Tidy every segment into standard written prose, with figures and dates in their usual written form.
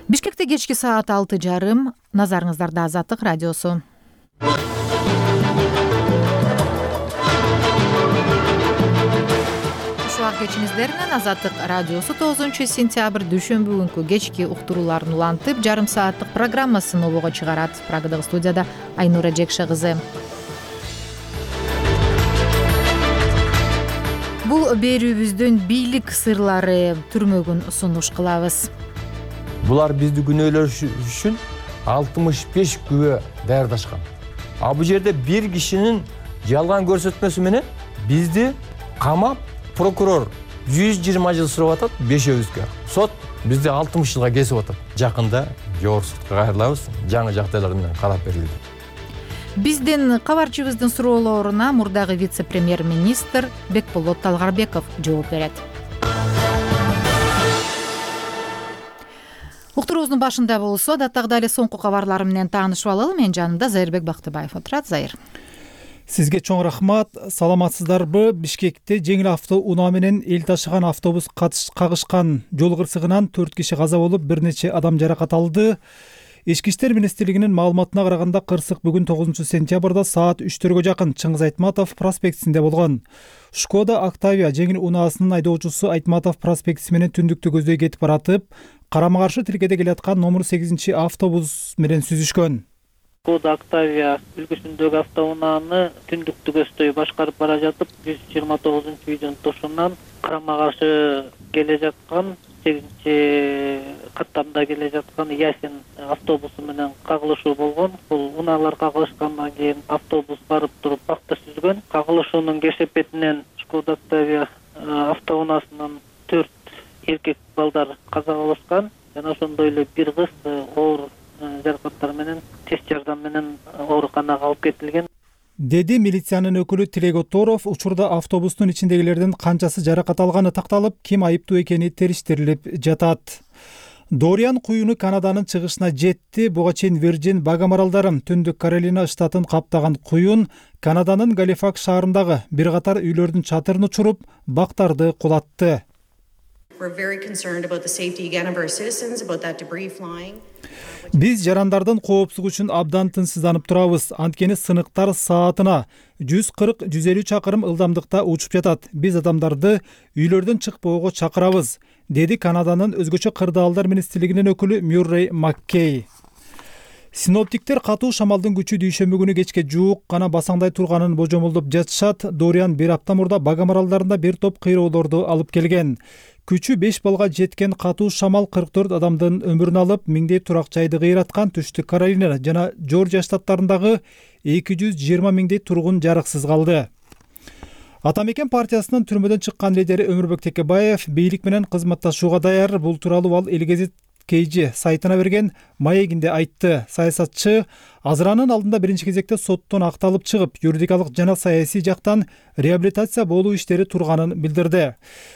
Бишкекте кечки саат 6:30. Назарыңыздарда Азаттык радиосу. Ушуак кечиңиздер менен Азаттык радиосу 9 сентябрь дүйшөмбү күнкү кечки уктурууларын улантып, жарым сааттык программасын обого чыгарат. Прагадагы студияда Айнура Жекше кызы. Бул берүүбүздүн бийлик сырлары түрмөгүн сунуш кылабыз. Булар бизди күнөөлөш үчүн 65 күбө даярдашкан. Бул жерде бир кишинин жалган көрсөтмөсү менен бизди камап, прокурор 120 жыл сурап атат, 5-өбүзгө. Сот бизди 60 жылга кесип атат. Жакында жогорку сотко кайрылабыз, жаңы жагдайлар менен карап берилди. Биздин кабарчыбыздын суроолоруна мурдагы вице-премьер-министр Бекболот Талгарбеков жооп берет. Уктуруубуздун башында болсо, адаттагыдай эле соңку кабарлар менен таанышып алалы. Менин жанымда Зайырбек Бактыбаев отурат. Зайыр. Сизге чоң рахмат. Саламатсыздарбы? Бишкекте жеңил автоунаа менен эл ташыган автобус кагышкан жол кырсыгынан 4 киши каза болуп, бир нече адам жаракат алды. Ички иштер министрлигинин маалыматына караганда, кырсык бүгүн 9 сентябрда саат 3-төргө жакын Чыңгыз Айтматов проспектисинде болгон. Шкода Октавия жеңил унаасынын айдоочусу Айтматов проспектиси менен түндүктү көздөй кетип баратып, карама-каршы тилкеде келаткан номер 8 автобус менен сүзүшкөн. Шкода Октавия үлгүсүндөгү автоунааны түндүктү көздөй башкарып бара жатып, 129-үйдүн тушунан карама-каршы келе жаткан 8-каттамда келе жаткан Ясин автобусу менен кагылышуу болгон. Бул унаалар кагылышкандан кийин автобус барып туруп бакта сүзгөн. Кагылышуунун кесепетинен Шкода Октавия автоунаасынан 4 эркек балдар каза болушкан. Жана ошондой эле бир кыз оор жаракаттар менен тез жардам менен ооруканага алып кетилген, деди милициянын өкүлү Тилек Оторов. Учурда автобустун ичиндегилердин канчасы жаракат алганы такталып, ким айыптуу экени териштирилип жатат. Дориан куюну Канаданын чыгышына жетти. Буга чейин Вирджин Багам аралдары, Түндүк Каролина штатын каптаган куюн Канаданын Галифакс шаарындагы бир катар үйлөрдүн чатырын учуруп, бактарды кулатты. Биз жарандардын коопсуздугу үчүн абдан тынчсызданып турабыз. Анткени сыныктар саатына 140-150 чакырым ылдамдыкта учуп жатат. Биз адамдарды үйлөрдөн чыкпоого чакырабыз, деди Канаданын өзгөчө кырдаалдар министрлигинин өкүлү Мюррей Маккей. Синоптиктер катуу шамалдын күчү дүйшөмбү күнү кечке жуук гана басаңдай турганын божомолдоп жатышат. Дориан бир апта мурда Багам аралдарында бир топ кыйроолорду алып келген. Күчү 5 балга жеткен катуу шамал 44 адамдын өмүрүн алып, миңдей турак жайды кыйраткан. Түштүк Каролина жана Жоржия штаттарындагы 220 миңдей тургун жарыксыз калды. Атамекен партиясынын түрмөдөн чыккан лидери Өмүрбек Текебаев бийлик менен кызматташууга даяр. Бул тууралуу ал Элгезит KG сайтына берген маегинде айтты. Саясатчы Азыранын алдында биринчи кезекте соттон акталып чыгып, юридикалык жана саясий жактан реабилитация болуу иштери турганын билдирди.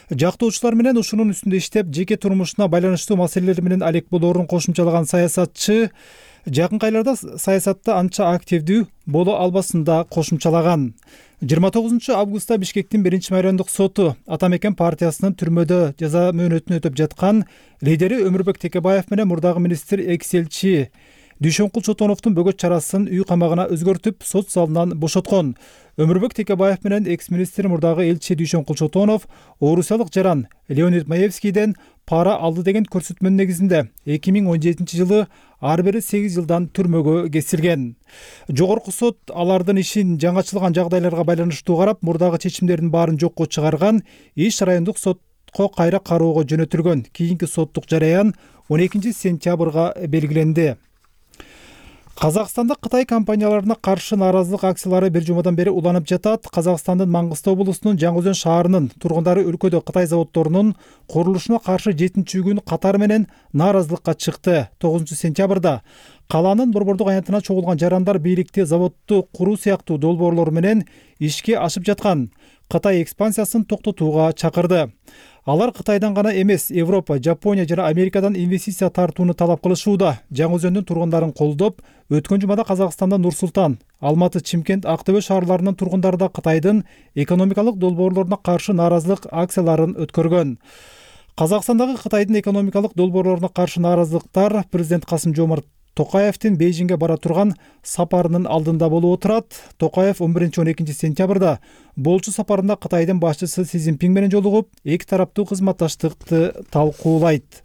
Жактоочулар менен ушунун үстүндө иштеп, жеке турмушуна байланыштуу маселелер менен алек болоорун кошумчалаган саясатчы жакынкы айларда саясатта анча активдүү боло албасын да кошумчалаган. 29 августта Бишкектин 1-майрандык соту Атамекен партиясынын түрмөдө жаза мөөнөтүн өтөп жаткан лидери Өмүрбек Текебаев менен мурдагы министр экс-элчи Дүйшөнкул Чотоновдун бөгөт чарасын үй камагына өзгөртүп, сот залынан бошоткон. Өмүрбек Текебаев менен экс-министр мурдагы элчи Дүйшөнкул Чотонов орусиялык жаран Леонид Маевскийден пара алды деген көрсөтмөнүн негизинде 2017 жылы ар бири 8 жылдан түрмөгө кесилген. Жогорку сот алардын ишин жаңачылган жагдайларга байланыштуу карап, мурдагы чечимдердин баарын жокко чыгарган. Иш райондук сотко кайра кароого жөнөтүлгөн. Кийинки соттук жараян 12 сентябрга белгиленди. Казакстанда Кытай компанияларына каршы нааразылык акциялары бир жумадан бери уланып жатат. Казакстандын Маңгыстау облусунун Жаңы Өзөн шаарынын тургундары өлкөдө Кытай заводдорунун курулушуна каршы 7-күн катар менен нааразылыкка чыкты. 9 сентябрда каланын борбордук аянтына чогулган жарандар бийликти заводду куруу сыяктуу долбоорлор менен ишке ашып жаткан Кытай экспансиясын токтотууга чакырды. Алар Кытайдан гана эмес, Европа, Жапония жана Америкадан инвестиция тартууну талап кылышууда. Жаңы Өзөндүн тургундарын колдоп, өткөн жумада Казакстанда Нур-Султан, Алматы, Чимкент, Актөбө шаарларынын тургундары да Кытайдын экономикалык долбоорлоруна каршы нааразылык акцияларын өткөргөн. Казакстандагы Кытайдын экономикалык долбоорлоруна каршы нааразылыктар президент Касым-Жомарт Токаевдин Бейжиңге бара турган сапарынын алдында болуп отурат. Токаев 11-12 сентябрда болчу сапарында Кытайдын башчысы Си Цзиньпин менен жолугуп, эки тараптуу кызматташтыкты талкуулайт.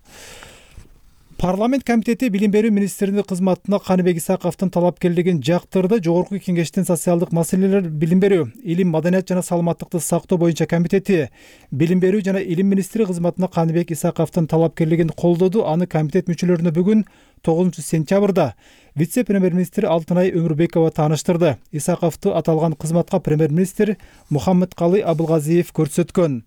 Парламент комитети билим берүү министринин кызматына Каныбек Исаковдун талапкерлигин жактырды. Жогорку кеңештин социалдык маселелер, билим берүү, илим, маданият жана саламаттыкты сактоо боюнча комитети билим берүү жана илим министри кызматына Каныбек Исаковдун талапкерлигин колдоду. Аны комитет мүчөлөрүнө бүгүн 9 сентябрда вице-премьер-министр Алтынай Өмүрбекова тааныштырды. Исаковду аталган кызматка премьер-министр Мухаммедкалый Абылгазиев көрсөткөн.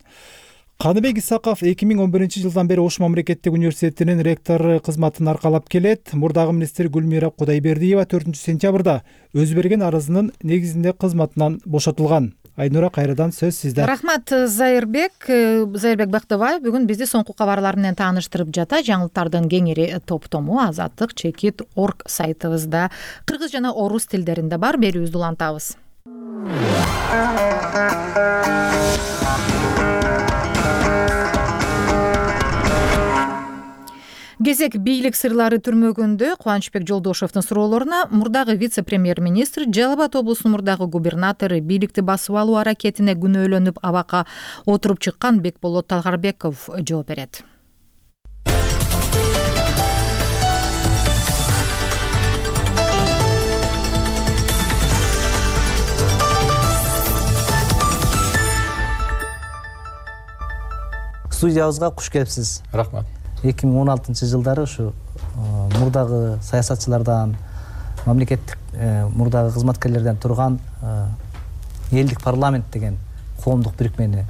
Каныбек Исаков 2011 жылдан бери Ош мамлекеттик университетинин ректору кызматын аркалап келет. Мурдагы министр Гүлмира Кудайбердиева 4 сентябрда өз берген арызынын негизинде кызматынан бошотулган. Айнура, кайрадан сөз сизде. Рахмат, Зайырбек Бактыбаев бүгүн бизди соңку кабарлар менен тааныштырып жата. Жаңылыктардын кеңири топтому azatlyk.org сайтыбызда кыргыз жана орус тилдеринде бар. Берүүбүздү улантабыз. Кезек бийлик сырлары түрмөгүндө Кубанычбек Жолдошевдун суроолоруна мурдагы вице-премьер-министр Жалал Абад облусунун мурдагы губернатору бийликти басып алуу аракетине күнөөлөнүп абакка отуруп чыккан Бекболот Талгарбеков жооп берет. Студиябызга куш келипсиз. Рахмат. 2016 жылдары ушу мурдагы саясатчылардан, мамлекеттик мурдагы кызматкерлерден турган элдик парламент деген коомдук бирикмени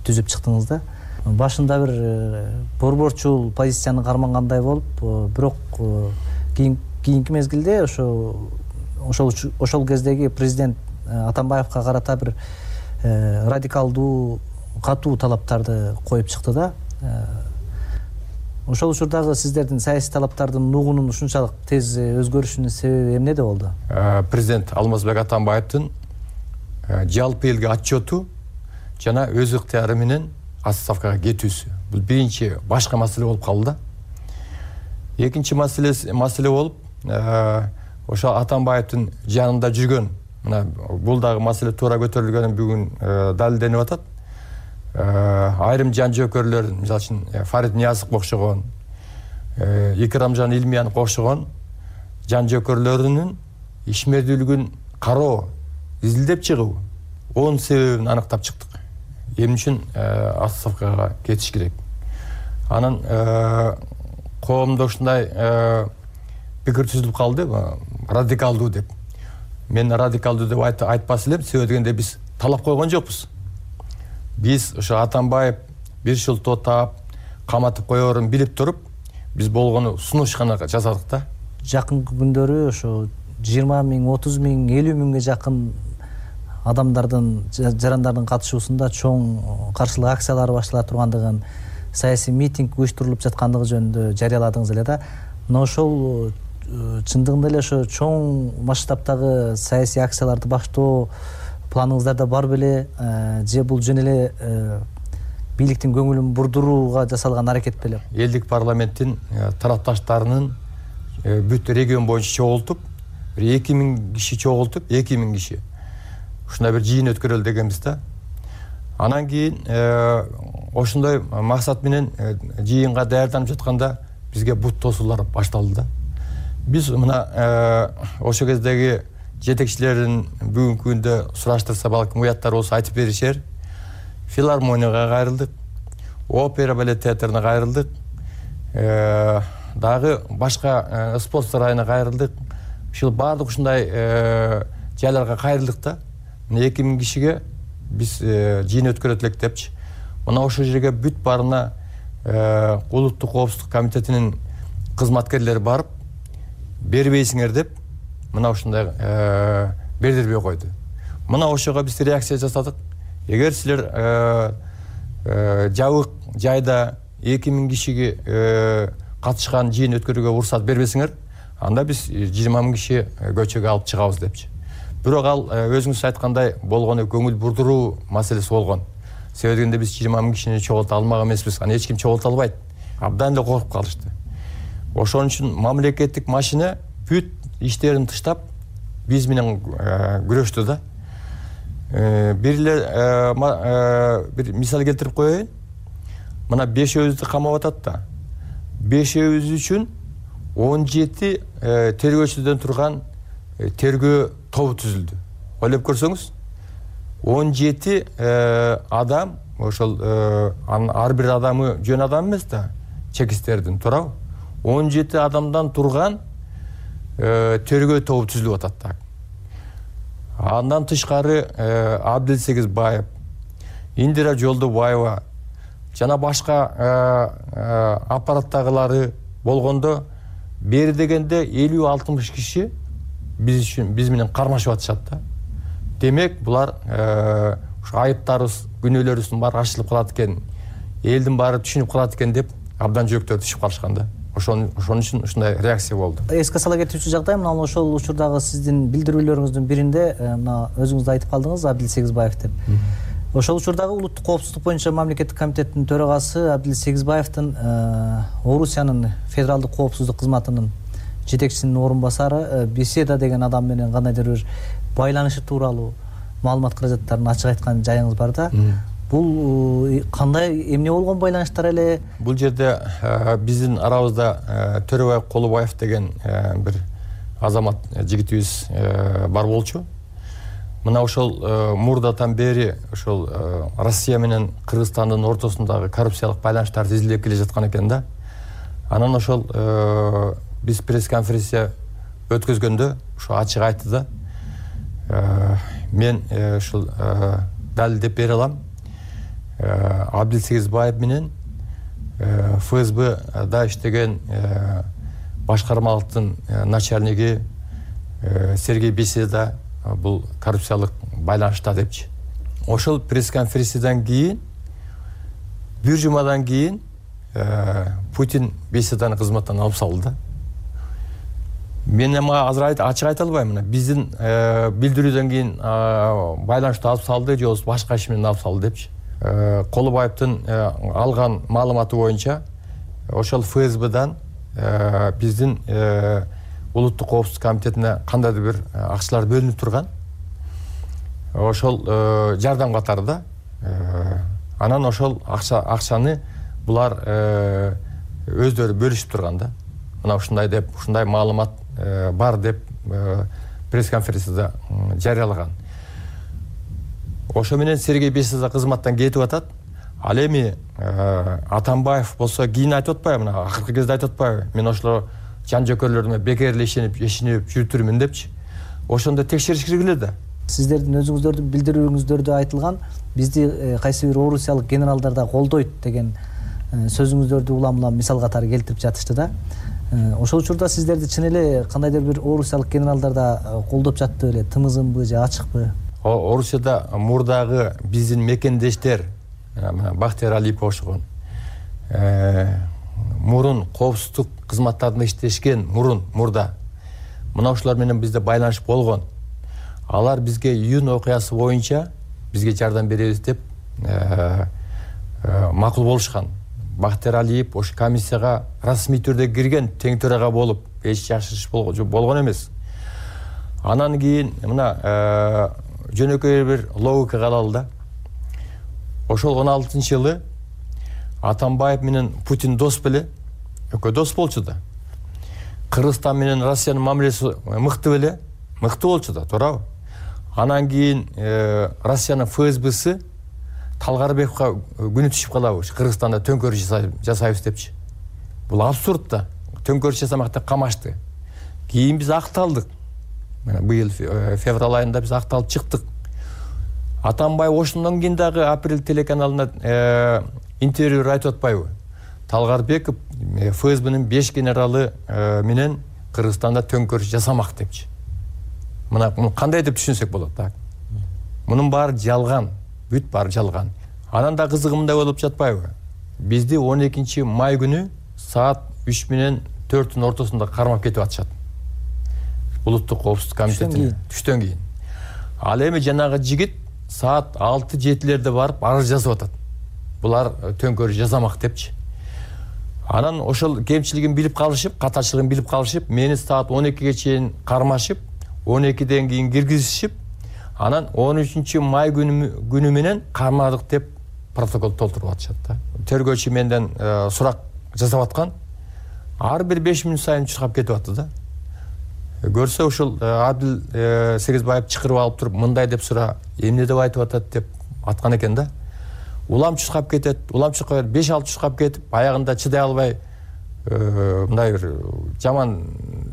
түзүп чыктыңыз да. Башында бир борборчул позицияны кармангандай болуп, бирок кийинки мезгилде ошол кездеги президент Атамбаевка карата бир радикалдуу, катуу талаптарды коюп чыкты да. Ошол учурдагы сиздердин саясий талаптардын нугунун ушунчалык тез өзгөрүшүнүн себеби эмнеде болду? Президент Алмазбек Атамбаевдин жалпы элге отчету жана өз ыктыяры менен отставкага кетүүсү. Бул биринчи башка маселе болуп калды да. Экинчи маселе болуп, ошо Атамбаевдин жанында жүргөн, мына бул дагы маселе туура көтөрүлгөнү бүгүн далилденип атат. Айрым жан жөөкөрлөр, мисалы үчүн Фарид Ниязовго окшогон, Икрамжан Илмиянов окшогон жан жөөкөрлөрүнүн ишмердүүлүгүн кароо, изилдеп чыгуу, онун себебин аныктап чыктык. Эмне үчүн отставкага кетиш керек? Анан коомдо ушундай пикир түзүлүп калды, радикалдуу деп. Мен радикалдуу деп айтпас элем, себеби дегенде биз талап койгон жокпуз. Биз ошо Атамбаев бир жыл тотап, каматып коерун билип туруп, биз болгону сунуш гана жасадык да. Жакынкы күндөрү ошо 20 миң, 30 миң, 50 миңге жакын адамдардын, жарандардын катышуусунда чоң каршылык акциялары баштала тургандыгын, саясий митинг уюштурулуп жаткандыгы жөнүндө жарыяладыңыз эле да. Но ошол чындыгында эле ошо чоң масштабтагы саясий акцияларды баштоо планыңыздарда бар беле, же бул жөн эле бийликтин көңүлүн бурдурууга жасалган аракет беле? Элдик парламенттин тарапташтарынын бүт регион боюнча чогултуп, 2000 киши чогултуп, 2000 киши ушундай бир жыйын өткөрөлү дегенбиз да. Анан кийин ошондой максат менен жыйынга даярданып жатканда бизге бут тосуулар башталды да. Биз мына ошол кездеги жетекчилерин бүгүнкү күндө сураштырса балким уяттар болсо айтып беришер. Филармонияга кайрылдык, опера балет театрына кайрылдык, дагы башка спорт сарайына кайрылдык. Ушул баардык ушундай жайларга кайрылдык да. 2000 кишиге биз жыйын өткөрөт элек депчи. Мына ошол жерге бүт баарына улуттук коопсуздук комитетинин кызматкерлери барып, бербейсиңер деп мына ушундай бердирбей койду. Мына ошого биз реакция жасадык. Эгер силер жабык жайда 2000 кишиге катышкан жыйын өткөрүүгө уруксат бербесиңер, анда биз 20 000 киши көчөгө алып чыгабыз депчи. Бирок ал өзүңүз айткандай болгону көңүл бурдуруу маселеси болгон. себеби дегенде биз 20 000 кишини чогулта алмак эмеспиз. Аны эч ким чогулта албайт. Абдан эле коркуп калышты. Ошон үчүн мамлекеттик машина бүт иштерин тыштап биз менен күрөштү да. Бир мисал келтирип коеюн. Мына 5-өбүздү камап атат да. 5-өбүз үчүн 17 тергөөчүдөн турган тергөө тобу түзүлдү. Ойлоп көрсөңүз, 17 адам, ошол ар бир адамы жөн адам эмес да, чекистердин, туурабы? 17 адамдан турган тергөө тобу түзүлүп атат да. Андан тышкары Абдилсегиз Баев, Индира Жолдобаева жана башка аппараттагылары болгондо бери дегенде 50-60 киши биз менен кармашып атышат да. Демек, булар айыптарыбыз, күнөөлөрүбүздүн баары ачылып калат экен, элдин баары түшүнүп калат экен деп абдан жүрөктөрү түшүп калышкан да. Ошон үчүн ушундай реакция болду. Эске сала кетүүчү жагдай, мына ошол учурдагы сиздин билдирүүлөрүңүздүн биринде мына өзүңүз да айтып калдыңыз, Абдилсегизбаев деп. Ошол учурдагы улуттук коопсуздук боюнча мамлекеттик комитеттин төрагасы Абдилсегизбаевдин Орусиянын федералдык коопсуздук кызматынын жетекчисинин орун басары беседа деген адам менен кандайдыр бир байланышы тууралуу маалымат каражаттарын ачык айткан жайыңыз бар да. Бул кандай, эмне болгон байланыштар эле? Бул жерде биздин арабызда Төрөбай Колубаев деген бир азамат жигитибиз бар болчу. Мына ошол мурдатан бери ошол Россия менен Кыргызстандын ортосундагы коррупциялык байланыштарды изилдеп келе жаткан экен да. Анан ошол биз пресс-конференция өткөзгөндө ошо ачык айтты да. Мен ушул далилдеп бере алам. Абдилсегизбаев менен ФСБда иштеген башкармалыктын начальниги Сергей Беседа бул коррупциялык байланышта депчи. Ошол пресс-конференциядан кийин бир жумадан кийин Путин Беседаны кызматтан алып салды да. Мен ага азыр ачык айта албайм. Биздин билдирүүдөн кийин байланышты алып салды же башка иш менен алып салды депчи. Колубаевдин алган маалыматы боюнча ошол ФСБдан биздин улуттук коопсуздук комитетине кандайдыр бир акчалар бөлүнүп турган. Ошол жардам катары да. Анан ошол акчаны булар өздөрү бөлүшүп турган да. Мына ушундай деп, ушундай маалымат бар деп пресс-конференцияда жарыялаган. Ошо менен Сергей Беседа кызматтан кетип атат. Ал эми Атамбаев болсо кийин айтып атпайбы, мына акыркы кезде айтып атпайбы? Мен ошолор жан жөкөрлөрүмө бекер эле ишенип жүрүптүрмүн депчи. Ошондо текшериш киргиле да. Сиздердин өзүңүздөрдүн билдирүүңүздөрдө айтылган, бизди кайсы бир орусиялык генералдар да колдойт деген сөзүңүздөрдү улам-улам мисал катары келтирип жатышты да. Ошол учурда сиздерди чын эле кандайдыр бир орусиялык генералдар да колдоп жатты беле, тымызынбы же ачыкпы? Орусияда мурдагы биздин мекендештер, Бахтияр Алипов ошогон, мурун коопсуздук кызматтарында иштешкен мурда. Мына ошолор менен бизде байланыш болгон. Алар бизге июнь окуясы боюнча бизге жардам беребиз деп макул болушкан. Бахтияр Алиев ошо комиссияга расмий түрдө кирген, тең төрага болуп, эч жашырыш болгон эмес. Анан кийин мына жөнөкөй бир логика алалы да. Ошол 16-жылы Атамбаев менен Путин дос беле, экөө дос болчу да. Кыргызстан менен Россиянын мамилеси мыкты беле, мыкты болчу да, туурабы? Анан кийин Россиянын ФСБсы Талгарбековго күнү түшүп калабы, Кыргызстанда төңкөрүш жасайбыз депчи. Бул абсурд да. Төңкөрүш жасамак деп камашты. Кийин биз акталдык. Мына быйыл февраль айында биз акталып чыктык. Атамбаев ошондон кийин дагы Апрель телеканалына интервью айтып атпайбы? Талгарбеков ФСБнын 5 генералы менен Кыргызстанда төңкөрүш жасамак депчи. Мына кандай деп түшүнсөк болот так. Мунун баары жалган, бүт баары жалган. Анан да кызыгы мындай болуп жатпайбы? Бизди 12 май күнү саат 3 менен 4-тун ортосунда кармап кетип атышат. Улуттук коопсуздук комитетине түштөн кийин. Ал эми жанагы жигит саат 6-7-лерде барып арыз жазып атат. Булар төңкөрүш жасамак депчи. Анан ошол кемчилигин билип калышып, катачылыгын билип калышып, мени саат 12ге чейин кармашып, 12ден кийин киргизишип, анан 13 май күнү менен кармадык деп протокол толтуруп атышат да. Тергөөчү менден сурак жасап аткан. Ар бир 5 мүнөт сайын чуркап кетип атты да. Көрсө ушул Адил Сегизбаев чакырып алып туруп, мындай деп сура, эмне деп айтып атат деп аткан экен да. Улам чуркап кетет, улам чуркап 5-6 чуркап кетип, аягында чыдай албай мындай бир жаман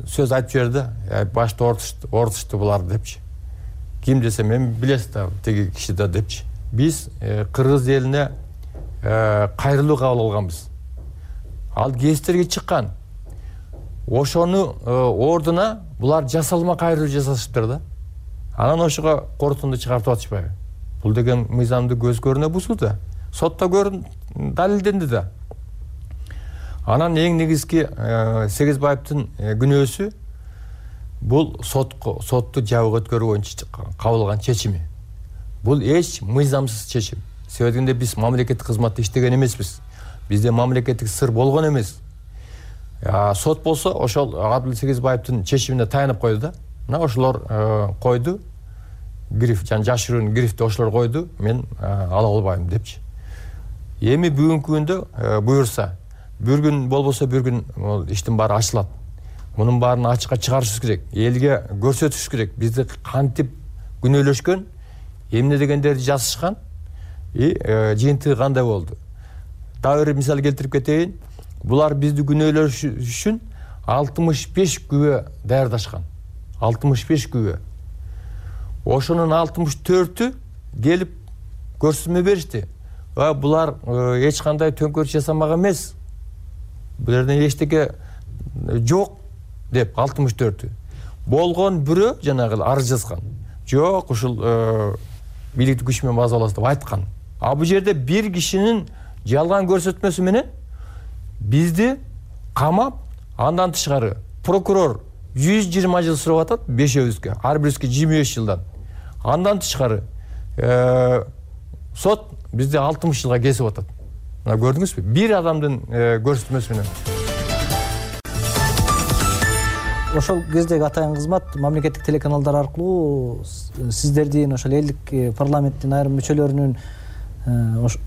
сөз айтып жиберди. Башта ортушту булар депчи. Ким десе мен билесиз да, теги киши да депчи. Биз Кыргыз элине кайрылуу кабыл алганбыз. Ал гезиттерге чыккан. Ошону ордуна булар жасалма кайрылуу жасашыптыр да. Анан ошого корутунду чыгартып атышпайбы? Бул деген мыйзамды көз көрүнө бузду да. Сотто далилденди да. Анан эң негизги Сегизбаевдин күнөөсү бул сотту жабык өткөрүү боюнча кабыл алган чечими. Бул эч мыйзамсыз чечим. Себебинде биз мамлекеттик кызматта иштеген эмеспиз. Бизде мамлекеттик сыр болгон эмес. Сот болсо ошол Адил Сегизбаевдин чечимине таянып койду да. Мына ошолор койду. Гриф, жашыруун грифти ошолор койду. Мен ала албайм депчи. Эми бүгүнкү күндө буюрса, бир күн болбосо бир күн иштин баары ачылат. Мунун баарын ачыкка чыгарышыбыз керек. Элге көрсөтүш керек. Бизди кантип күнөөлөшкөн, эмне дегендерди жазышкан, жыйынтыгы кандай болду. Дагы бир мисал келтирип кетейин. Булар бизди күнөөлөш үчүн 65 күбө даярдашкан. 65 күбө. Ошонун 64-ü келип көрсөтмө беришти. Булар эч кандай төңкөрүш жасамак эмес. Булардан эчтеке жок деп 64-ü. Болгон бирөө жанагы арыз жазган. Жок, ушул бийликти күч менен базалабыз деп айткан. Бул жерде бир кишинин жалган көрсөтмөсү менен бизди камап, андан тышкары прокурор 120 жыл сурап атат, 5-өбүзгө, ар бирибизге 25 жылдан. Андан тышкары сот бизди 60 жылга кесип атат. Мына көрдүңүзбү? Бир адамдын көрсөтмөсү менен. Ошол кездеги атайын кызмат мамлекеттик телеканалдар аркылуу сиздердин ошол элдик парламенттин айрым мүчөлөрүнүн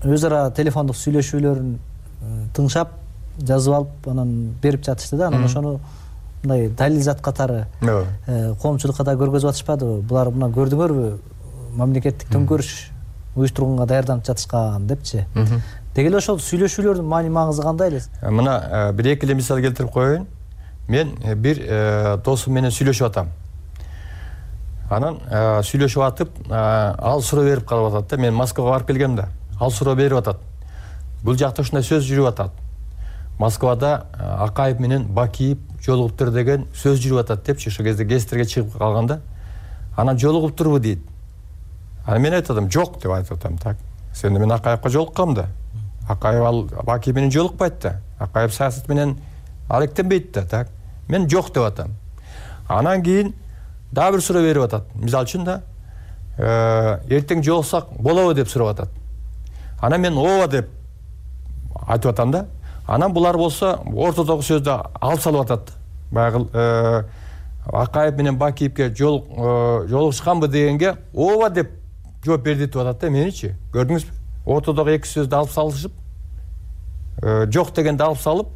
өз ара телефондук сүйлөшүүлөрүн тыңшап, жазып алып, анан берип жатышты да. Анан ошону мындай далил зат катары коомчулукка да көргөзүп атышпадыбы? Булар мына көрдүңөрбү? Мамлекеттик төңкөрүш уюштурганга даярданып жатышкан депчи. Деги эле ошол сүйлөшүүлөрдүн маани маңызы кандай эле? Мына бир-эки эле мисал келтирип коеюн. Мен бир досум менен сүйлөшүп атам. Анан сүйлөшүп атып, ал суроо берип калып атат да. Мен Москвага барып келгем да. Ал суроо берип атат. Бул жакта ушундай сөз жүрүп атат. Москвада Акаев менен Бакиев жолугуптур деген сөз жүрүп атат депчи. Ошол кезде гезиттерге чыгып калганда. Анан жолугуптурбу дейт. Анан мен айтатам, жок деп айтып атам так. Сен мен Акаевга жолуккам да. Акаев ал Бакиев менен жолукпайт да. Акаев саясат менен алектенбейт да так. Мен жок деп атам. Анан кийин дагы бир суроо берип атат. Мисалы үчүн да эртең жолуксак болобу деп сурап атат. Анан мен ооба деп айтып атам да. Анан булар болсо ортодогу сөздү алып салып атат. Баягы Акаев менен Бакиевге жолугушканбы дегенге ооба деп жооп берди деп атат да. Меничи көрдүңүзбү? Ортодогу эки сөздү алып салышып, жок дегенди алып салып,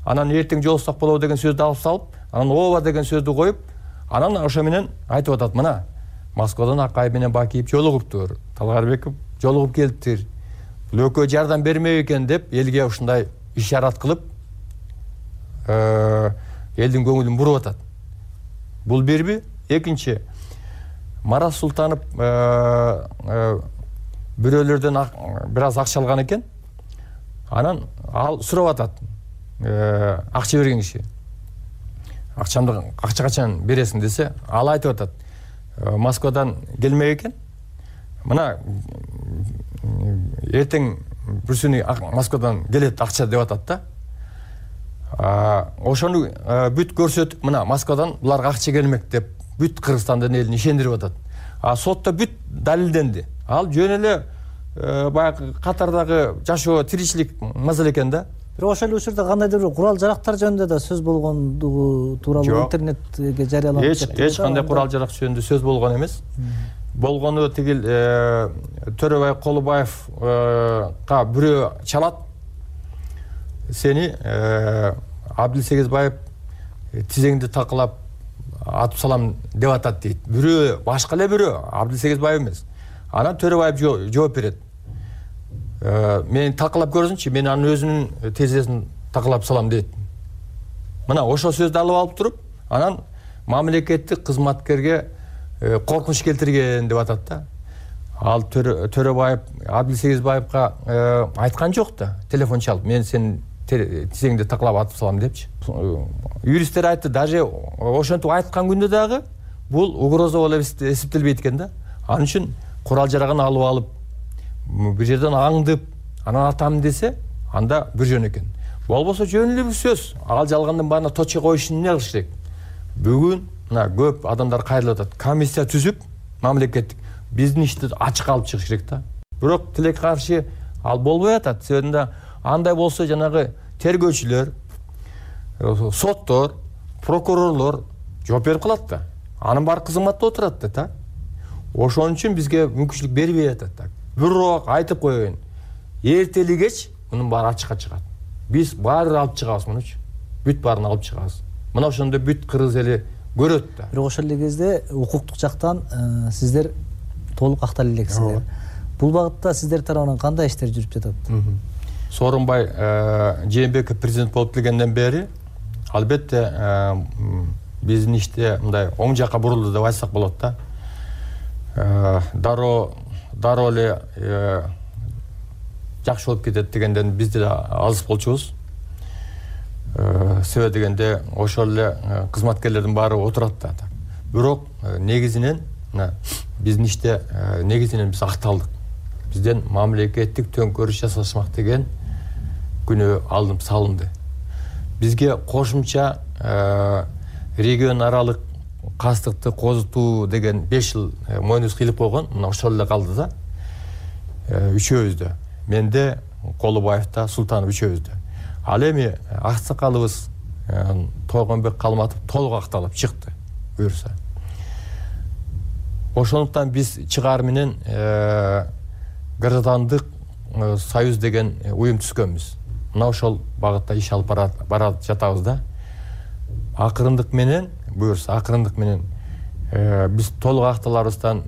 анан эртең жолуксак болобу деген сөздү алып салып, анан ооба деген сөздү коюп, анан ошо менен айтып атат, мына Москвадан Акаев менен Бакиев жолугуптур, Талгарбеков жолугуп келиптир. Бул экөө жардам бермек экен деп элге ушундай ишарат кылып, элдин көңүлүн буруп атат. Бул бирби. Экинчи, Марат Султанов бирөөлөрдөн бир аз акча алган экен. Анан ал сурап атат. Акча берген киши. Акча качан бересиң десе, ал айтып атат. Москвадан келмек экен. Мына эртең бүрсүнү Москвадан келет акча деп атат да. Ошону бүт көрсөтүп, мына Москвадан буларга акча келмек деп бүт Кыргызстандын элин ишендирип атат. Сотто бүт далилденди. ал жөн эле баягы катардагы жашоо тиричилик маселе экен да. Бирок ошол учурда кандайдыр бир курал жарактар жөнүндө да сөз болгондугу тууралуу интернетке жарыяланып кетти. Эч кандай курал жарак жөнүндө сөз болгон эмес. Болгону тигил Төрөбай Колубаевга бирөө чалат. Сени Абдилсегизбаев тизеңди такылап атып салам деп атат дейт. Бирөө башка эле бирөө, Абдилсегизбаев эмес. Анан Төрөбаев жооп берет. Мени такылап көрсүнчү, мен анын өзүнүн тезесин такылап салам дейт. Мына ошол сөздү алып алып туруп, анан мамлекеттик кызматкерге коркунуч келтирген деп атат да. Ал Төрөбаев Абдилсегизбаевга айткан жок да, телефон чалып, мен сени тизеңди такылап атып салам депчи. Юристтер айтты, даже ошентип айткан күндө дагы бул угроза болуп эсептелбейт экен да. Анын үчүн курал жарагын алып бир жерден аңдып, анан атам десе, анда бир жөн экен. Болбосо жөн эле бир сөз. Ал жалгандан баана точка коюш үчүн эмне кылыш керек? Бүгүн мына көп адамдар кайрылып атат. Комиссия түзүп, мамлекеттик биздин ишти ачык алып чыгыш керек да. Бирок тилек каршы ал болбой атат. Себебинде андай болсо жанагы тергөөчүлөр, соттор, прокурорлор жооп берип калат да. Анын баары кызматта отурат да. Ошон үчүн бизге мүмкүнчүлүк бербей атат да. Бирок айтып коеюн, эртели кеч мунун баары ачыкка чыгат. Биз баарын алып чыгабыз мунучу. Бүт баарын алып чыгабыз. Мына ошондо бүт Кыргыз эли көрөт да. Бирок ошол эле кезде укуктук жактан сиздер толук акталып элексиздер. Бул багытта сиздер тарабынан кандай иштер жүрүп жатат? Сооронбай Жээнбеков президент болуп келгенден бери албетте биздин иште мындай оң жакка бурулду деп айтсак болот да. Дароо эле жакшы болуп кетет дегенден биз да алыс болчубуз. Себеби дегенде ошол эле кызматкерлердин баары отурат да. Бирок негизинен биздин иште негизинен биз акталдык. Бизден мамлекеттик төңкөрүш жасашмак деген күнөө алынып салынды. Бизге кошумча регион аралык кастыкты козутуу деген 5 жыл мойнубуз кыйлып койгон. Мына ошол эле калды да. Үчөөбүздө. Менде, Колубаевда, Султанов үчөөбүздө. Ал эми аксакалыбыз Тойгонбек Калматов толук акталып чыкты, буюрса. Ошондуктан биз чыгаар менен граждандык союз деген уюм түзгөнбүз. Мына ошол багытта иш алып бара жатабыз да. Акырындык менен, буюрса акырындык менен биз толук акталарыбыздан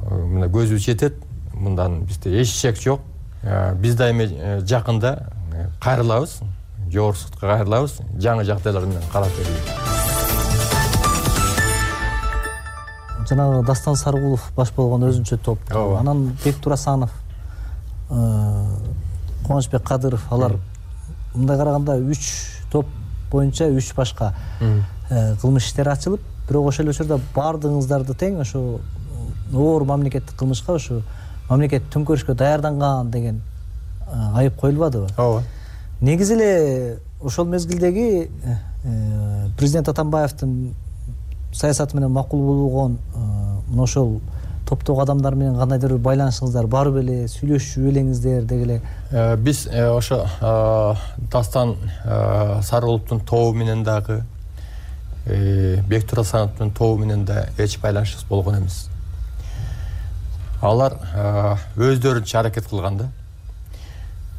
мына көзүбүз жетет. Мындан бизде эч шек жок. Биз да эми жакында кайрылабыз, жогорку сотко кайрылабыз, жаңы жагдайлар менен карап беребиз. Жанагы Дастан Саргулов баш болгон өзүнчө топ, анан Бектур Асанов, Кубанычбек Кадыров, алар мындай караганда 3 топ боюнча 3 башка кылмыш иштери ачылып, бирок ошол учурда бардыгыңыздарды тең ошо оор мамлекеттик кылмышка, ошо мамлекет төңкөрүшкө даярданган деген айып коюлбадыбы? Ооба. Негизи эле ошол мезгилдеги президент Атамбаевдин саясаты менен макул болгон мына ошол топтогу адамдар менен кандайдыр бир байланышыңыздар бар беле, сүйлөшүп элеңиздер деги эле? Биз ошо Дастан Саргуловдун тобу менен дагы Бектур Асановдун тобу менен да эч байланышыбыз болгон эмес. Алар өздөрүнчө аракет кылган да.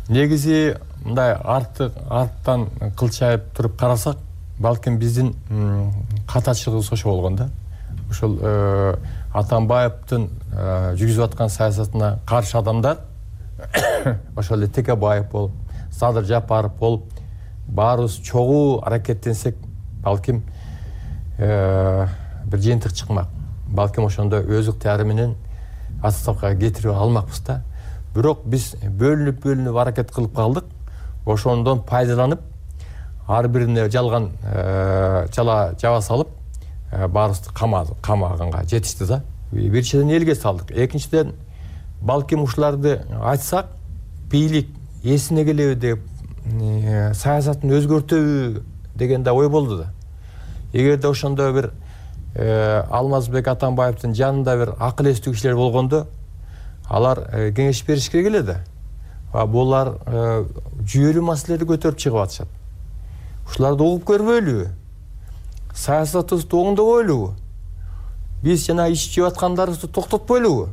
Негизи мындай арттан кылчайып туруп карасак, балким биздин катачылыгыбыз ошо болгон да. Ошол Атамбаевдин жүргүзүп аткан саясатына каршы адамдар ошол эле Текебаев болуп, Садыр Жапаров болуп, баарыбыз чогуу аракеттенсек, балким бир жыйынтык чыкмак. Балким ошондо өз ыктыяры менен отставкага кетирип алмакпыз да. Бирок биз бөлүнүп аракет кылып калдык. Ошондон пайдаланып, ар бирине жалган жаба салып, баарыбызды камаганга жетишти да. Биринчиден элге салдык. Экинчиден, балким ушуларды айтсак, бийлик эсине келеби деп, саясатын өзгөртөбү деген да ой болду да. Эгерде ошондо бир Алмазбек Атамбаевдин жанында бир акыл эстүү кишилер болгондо, алар кеңеш бериш керек эле да. Булар жүйөлүү маселелерди көтөрүп чыгып атышат. Ушуларды угуп көрбөйлүбү? Саясатыбызды оңдобойлубу? Биз жана иш жеп аткандарыбызды токтотпойлубу?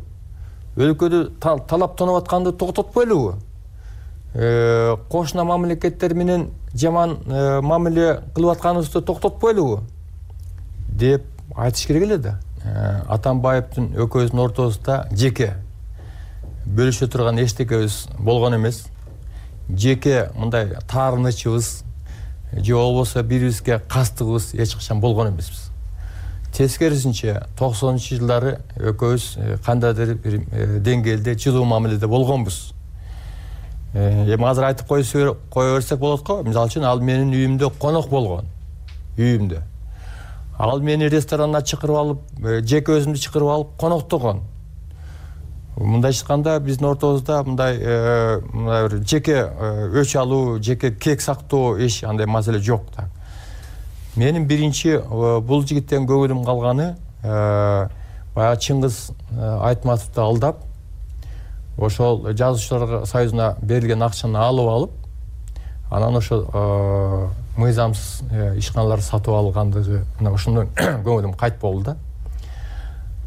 Өлкөдө талап тоноп атканды токтотпойлубу? Кошуна мамлекеттер менен жаман мамиле кылып атканыбызды токтотпойлубу деп айтыш керек эле да. Атамбаевдин экөөбүздүн ортобузда жеке бөлүшө турган эчтекебиз болгон эмес. Жеке мындай таарынычыбыз же болбосо бири-бирибизге кастыгыбыз эч качан болгон эмеспиз. Тескерисинче 90-жылдары экөөбүз кандайдыр бир деңгээлде жылуу мамиледе болгонбуз. Эми азыр айтып кое берсек болот го. Мисалы үчүн ал менин үйүмдө конок болгон. Үйүмдө. Ал мени ресторанына чакырып алып, жеке өзүмдү чакырып алып коноктогон. Мындай айтканда биздин ортобузда мындай бир жеке өч алуу, жеке кек сактоо иш андай маселе жок да. Менин биринчи бул жигиттен көңүлүм калганы баягы Чыңгыз Айтматовду алдап, ошол жазуучулар союзуна берилген акчаны алып, анан ошо мыйзамсыз ишканаларды сатып алгандыгы, мына ошондон көңүлүм кайт болду да.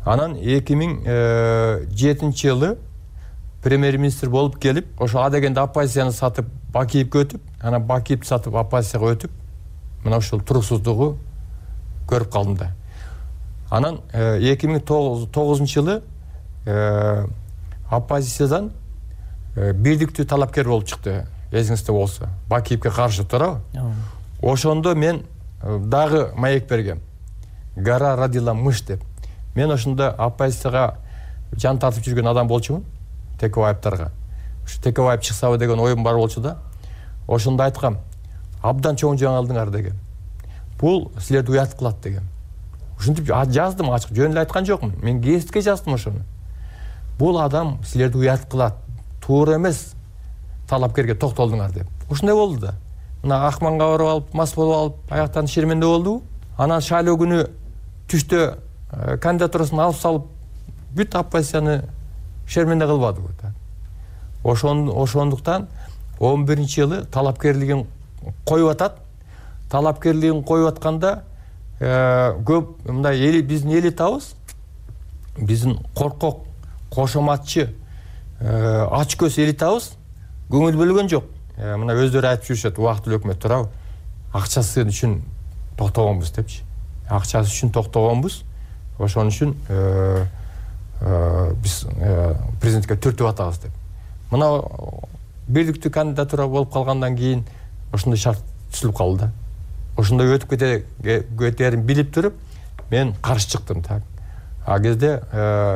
Анан 2007-жылы премьер-министр болуп келип, ошо А дегенде оппозицияны сатып Бакиевге өтүп, анан Бакиевди сатып оппозицияга өтүп, мына ошол туруксуздугу көрүп калдым да. Анан 2009-жылы оппозициядан бирдиктүү талапкер болуп чыкты. Эсиңизде болсо, Бакиевге каршы туурабы? Ошондо мен дагы маек бергем. Гора родила мышь деп. Мен ошондо оппозицияга жан тартып жүргөн адам болчумун, Текебаевдарга. Ушу Текебаев чыксабы деген оюм бар болчу да. Ошондо айткам, абдан чоң жаңылдыңар деген. Бул силерди уят кылат деген. Ушинтип жаздым ачык, жөн эле айткан жокмун. Мен гезитке жаздым ошону. Бул адам силерди уят кылат, туура эмес талапкерге токтолдуңар деп. Ушундай болду да. Мына Акманга барып алып, мас болуп алып, аяктан шерменде болду. Анан шайлоо күнү түштө кандидатурасын алып салып, бүт оппозицияны шерменде кылбадыбы да. Ошондуктан 11-жылы талапкерлигин коюп атат. Талапкерлигин коюп атканда көп мындай биздин элитабыз, биздин коркок, кошоматчы, ачкөз элитабыз көңүл бөлгөн жок. Мына өздөрү айтып жүрүшөт, убактылуу өкмөт туурабы? Акчасы үчүн токтогонбуз депчи. Акчасы үчүн токтогонбуз. Ошон үчүн биз президентке түртүп атабыз деп. Мына бирдиктүү кандидатура болуп калгандан кийин ошондой шарт түзүлүп калды да. Ошондой өтүп кетерин билип туруп, мен каршы чыктым так. А кезде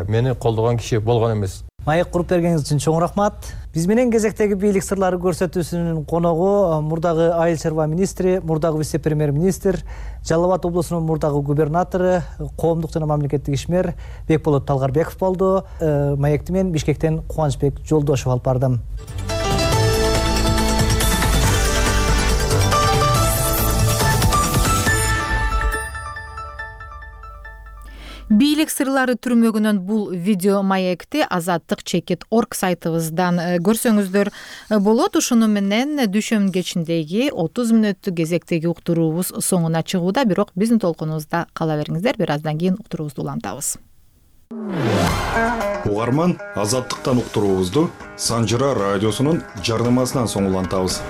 мени колдогон киши болгон эмес. Маек куруп бергениңиз үчүн чоң рахмат. Биз менен кезектеги бийлик сырлары көрсөтүүсүнүн коногу мурдагы айыл чарба министри, мурдагы вице-премьер-министр, Жалал Абад облусунун мурдагы губернатору, коомдук жана мамлекеттик ишмер Бекболот Талгарбеков болду. Маекти мен Бишкектен Кубанычбек Жолдошов алып бардым. Бийлик сырлары түрмөгүнөн бул видео маекти azattik.org сайтыбыздан көрсөңүздөр болот. Ушуну менен дүйшөмбү кечиндеги 30 мүнөттүк кезектеги уктуруубуз соңуна чыгууда, бирок биздин толкунубузда кала бериңиздер. Бир аздан кийин уктуруубузду улантабыз. Угарман, Азаттыктан уктуруубузду Санжыра радиосунун жардамасынан соң улантабыз.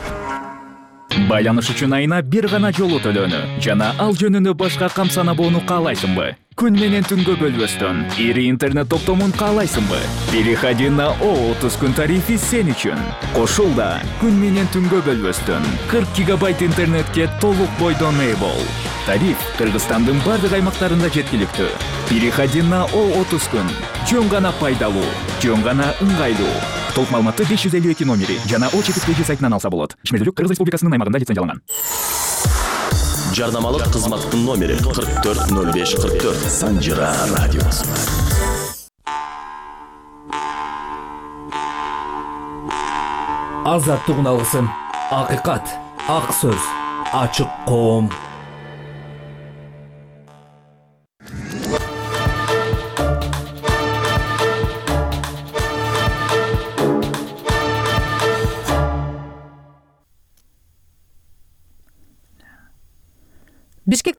Байланыш үчүн айына бир гана жолу төлөнү жана ал жөнүндө башка камсанабоону каалайсыңбы? Күн менен түнгө бөлбөстөн ири интернет топтомун каалайсыңбы? Переходи на O30 күн тарифи сен үчүн. Кошул да күн менен түнгө бөлбөстөн 40 гигабайт интернетке толук бойдон ээ бол. Тариф Кыргызстандын бардык аймактарында жеткиликтүү. Переходи на O30 күн. Жөн гана пайдалуу, жөн гана ыңгайлуу. Толук маалыматты 552 номери жана O4 сайтынан алса болот. Ишмердүүлүк Кыргыз Республикасынын аймагында лицензияланган. Жардамалык кызматтын номери 440544. Санжыра радиосу. Азаттык уналысын. Акыйкат, ак сөз, ачык коом. Бишкек